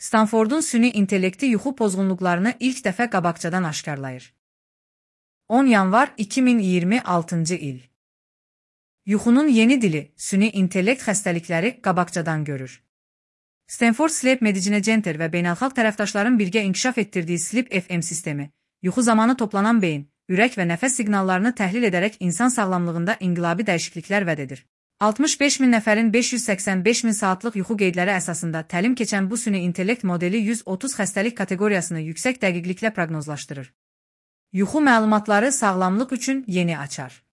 Stanfordun süni intellekti yuxu pozğunluqlarını ilk dəfə qabaqcadan aşkarlayır. 10 yanvar 2026 il. Yuxunun yeni dili, süni intellekt xəstəlikləri qabaqcadan görür. Stanford Sleep Medicine Center və beynəlxalq tərəfdaşların birgə inkişaf etdirdiyi Sleep FM sistemi, yuxu zamanı toplanan beyin, ürək və nəfəs siqnallarını təhlil edərək insan sağlamlığında inqilabi dəyişikliklər vəd edir. 65 min nəfərin 585 min saatlıq yuxu qeydləri əsasında təlim keçən bu süni intellekt modeli 130 xəstəlik kateqoriyasını yüksək dəqiqliklə proqnozlaşdırır. Yuxu məlumatları sağlamlıq üçün yeni açar.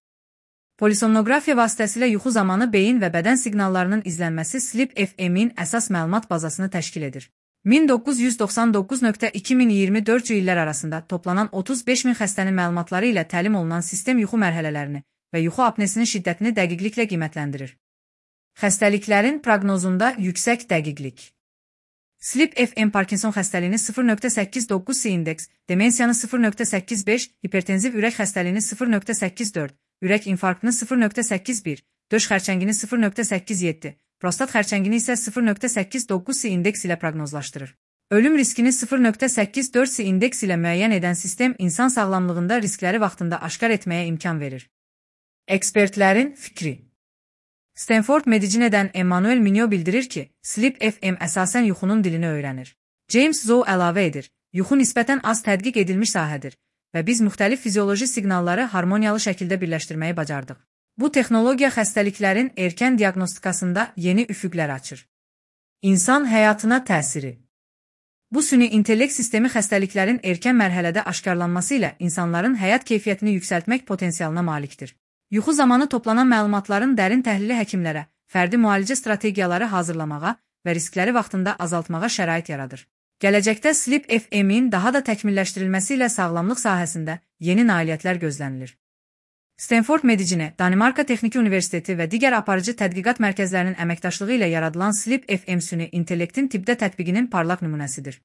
Polisomnografiya vasitəsilə yuxu zamanı beyin və bədən siqnallarının izlənməsi Sleep FM-in əsas məlumat bazasını təşkil edir. 1999-2024 illər arasında toplanan 35 min xəstənin məlumatları ilə təlim olunan sistem yuxu mərhələlərini və yuxu apnesinin şiddətini dəqiqliklə qiymətləndirir. Xəstəliklərin proqnozunda yüksək dəqiqlik. Sleep FM Parkinson xəstəliyini 0.89 indeks, demensiyanı 0.85, hipertenziv ürək xəstəliyini 0.84, ürək infarktını 0.81, döş xərçəngini 0.87, prostat xərçəngini isə 0.89 indeks ilə proqnozlaşdırır. Ölüm riskini 0.84 indeks ilə müəyyən edən sistem insan sağlamlığında riskləri vaxtında aşkar etməyə imkan verir. Ekspertlərin fikri. Stanford Medicine'dən Emmanuel Mignot bildirir ki, Sleep FM əsasən yuxunun dilini öyrənir. James Zhou əlavə edir, yuxu nisbətən az tədqiq edilmiş sahədir və biz müxtəlif fizioloji siqnalları harmoniyalı şəkildə birləşdirməyi bacardıq. Bu texnologiya xəstəliklərin erkən diaqnostikasında yeni üfüqlər açır. İnsan həyatına təsiri. Bu süni intellekt sistemi xəstəliklərin erkən mərhələdə aşkarlanması ilə insanların həyat keyfiyyətini yüksəltmək potensialına malikdir. Yuxu zamanı toplanan məlumatların dərin təhlili həkimlərə, fərdi müalicə strategiyaları hazırlamağa və riskləri vaxtında azaltmağa şərait yaradır. Gələcəkdə Sleep FM-in daha da təkmilləşdirilməsi ilə sağlamlıq sahəsində yeni nailiyyətlər gözlənilir. Stanford Medicine, Danimarka Texniki Universiteti və digər aparıcı tədqiqat mərkəzlərinin əməkdaşlığı ilə yaradılan Sleep FM süni intellektin tibbdə tətbiqinin parlaq nümunəsidir.